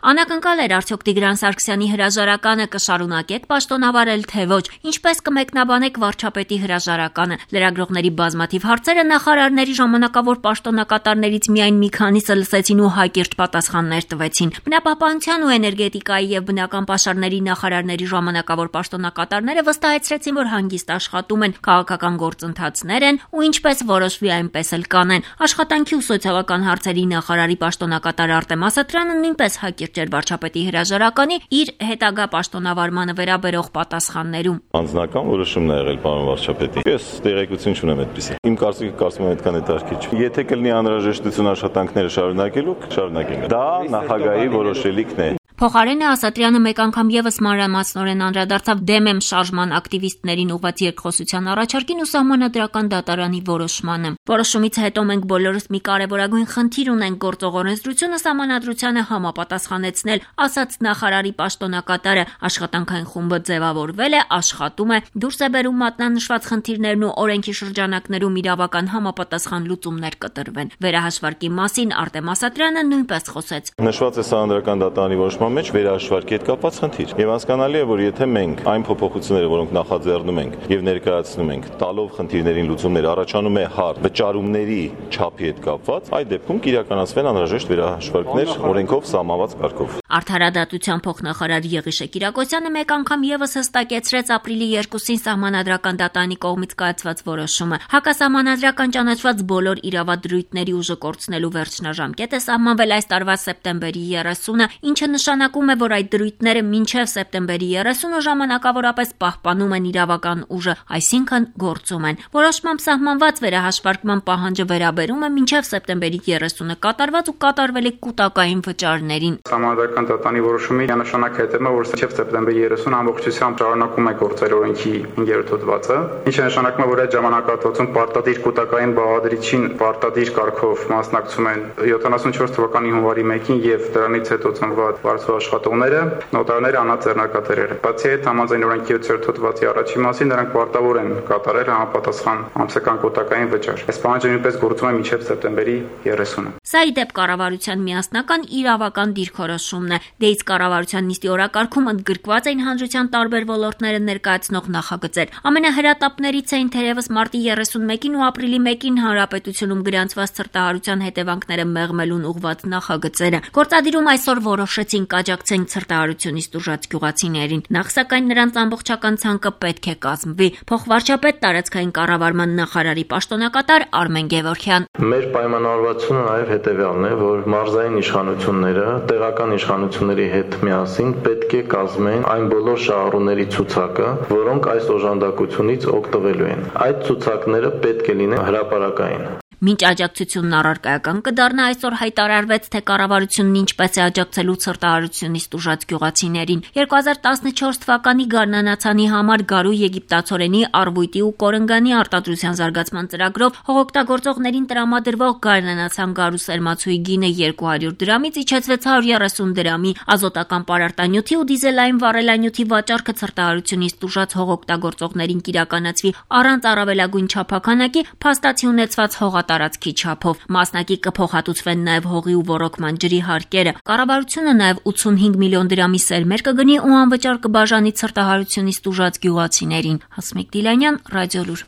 Անակնկալ էր արդյոք Տիգրան Սարգսյանի հրաժարականը կշարունակեք պաշտոնավարել, թե ոչ, ինչպես կմեկնաբանեք վարչապետի հրաժարականը։ Լրագրողների բազմաթիվ հարցերը նախարարների ժամանակավոր պաշտոնակատարներից միայն մի քանիսը լսեցին ու հակիրճ պատասխաններ տվեցին։ Բնապահպանության ու էներգետիկայի եւ բնական պաշարների նախարարների ժամանակավոր պաշտոնակատարները վստահեցրեցին, որ հանգիստ աշխատում են, քաղաքական գործընթացներ են ու ինչպես որոշվի այնպես էլ կանեն։ Աշխատանքի ու սոցիալական հարցերի նախարարի պաշտոնակատար Արտեմ Ասատրյանը նույնպես հակիրճ էր վարչապետի հրաժարականի իր հետագա պաշտոնավարմանը վերաբերող պատասխաններում։ Անձնական որոշումն է եղել պարոն վարչապետի։ Ես տեղեկություն չունեմ այդպիսի։ Իմ կարծիքը կարծում եմ այդքան հետաքրքիր չէ։ Եթե կլինի անհրաժեշտություն աշխատանքները շարունակելու, կշարունակենք։ Դա նախագահի որոշելիքն է։ Փոխարենը Ասատրյանը մեկ անգամ եւս մանրամասնորեն անդրադարձավ դեմ եմ շարժման ակտիվիստներին ուղղված երկխոսության առաջարկին ու սահմանադրական դատարանի որոշմանը։ Որոշումից հետո մենք բոլորս մի կարևորագույն խնդիր ունենք գործող օրենսդրությունը սահմանադրությանը համապատասխանեցնել, ասաց նախարարի պաշտոնակատարը։ Աշխատանքային խումբը ձևավորվել է, աշխատում է, դուրս է բերում մատնանշված խնդիրներն ու օրենքի շրջանակներում իրավական համապատասխան լուծումներ կտրվեն։ Վերահաշվարկի մասին Արտեմ Ասատրյանը նույնպես խոսեց։ Նշված է սահմանադրական դատարանի որոշման մեջ վերահաշվարկի հետ կապված խնդիր։ Եվ հասկանալի է, որ եթե մենք այն փոփոխությունները, որոնք նախաձեռնում ենք եւ ներկայացնում ենք, տալով խնդիրներին լուծումներ, առաջանում է հարց վճարումների չափի հետ կապված, այդ դեպքում կիրականացվեն անհրաժեշտ վերահաշվարկներ օրենքով սահմանված կարգով։ Արդարադատության փոխնախարար Եղիշե Կիրակոսյանը մեկ անգամ եւս հստակեցրեց ապրիլի 2-ին սահմանադրական դատարանի կողմից կայացված որոշումը։ Հակասահմանադրական ճանաչված բոլոր իրավադրույթների ուժը կորցնելու վերջնաժամկետը սահմանվել այս տարվա սեպտեմբերի 30-ը, ինչը նշանակում է, որ այդ դրույթները մինչև սեպտեմբերի 30-ը ժամանակավորապես պահպանում են իրավական ուժը, այսինքն գործում են։ Որոշմամբ սահմանված վերահաշվարկման պահանջը վերաբերում է մինչև սեպտեմբերի 30-ը կատարված ու կատարվելիք կൂട്ടակային վճարներին։ Սահմանադրական դատարանի որոշումի նշանակ հետևում է, որ մինչև սեպտեմբերի 30-ը ամբողջությամբ շարունակում է գործել օրենքի 5-րդ հոդվածը, ինչը նշանակում է, որ այդ ժամանակահատվածում պարտադիր կൂട്ടակային բաղադրիչին պարտադիր կարգով մասնակցում են 74 թվականի հունվարի 1-ին եւ դրանից հետո ծնված վարձու աշխատողները, նոտարները, անձեռնարկատերերը։ Բացի այդ, համաձայն օրենքի 7-րդ հոդվածի առաջին մասին նրանք պարտավոր են կատարել համապատասխան ամսական կൂട്ടակային վճար։ Այս պահանջը նույնպես գործում է մինչև սեպտեմբերի 30-ը։ Սա ի դեպ կառավարության միասնական իրավական դիրքորոշումն է։ Դեից կառավարության նիստի օրակարգում ընդգրկված էին հանրության տարբեր ոլորտները ներկայացնող նախագծեր։ Ամենահրատապներից էին թերևս մարտի 31-ին ու ապրիլի 1-ին հանրապետությունում գրանցված ցրտահարության հետևանքները մեղմելուն ուղղված նախագծերը։ Գործադիրում այսօր որոշեցին կաջակցեն ցրտահարությունից տուժած գյուղացիներին։ Նախ սակայն նրանց ամբողջական ցանկը պետք է կազմվի։ Փոխվարչապետ տարածքային կառավարման նախարարի պաշտոնակատար Արմեն Գևորգյան։ Մեր պայմանավորվածությունը նաև հետևյալն է, որ մարզային իշխանությունները տեղական իշխանությունների հետ միասին պետք է կազմեն այն բոլոր շահառուների ցուցակը, որոնք այս օժանդակությունից օգտվելու են։ Այդ ցուցակները պետք է լինեն հրապարակային։ Մինչ աջակցությունն առարկայական կդառնա, այսօր հայտարարվեց, թե կառավարությունն ինչպես է աջակցելու ցրտահարությունից տուժած գյուղացիներին։ 2014 թվականի գարնանացանի համար գարու եգիպտացորենի, արվույտի ու կորնգանի արտադրության զարգացման ծրագրով հողօգտագործողներին տրամադրվող գարնանացան գարու սերմացուի գինը 200 դրամից իջեցվեց 130 դրամի, ազոտական պարարտանյութի ու դիզելային վառելանյութի վաճառքը ցրտահարությունից տուժած հողօգտագործողներին կիրականացվի առանց առավելագույն չափանակի, փաստացի ունեցված տարածքի չափով։ Մասնակի կփոխհատուցվեն նաև հողի ու ոռոգման ջրի հարկերը։ Կառավարությունը նաև 85 միլիոն դրամի սերմեր կգնի ու անվճար կբաժանի ցրտահարությունից տուժած գյուղացիներին։ Հասմիկ Դիլանյան, Ռադիոլուր։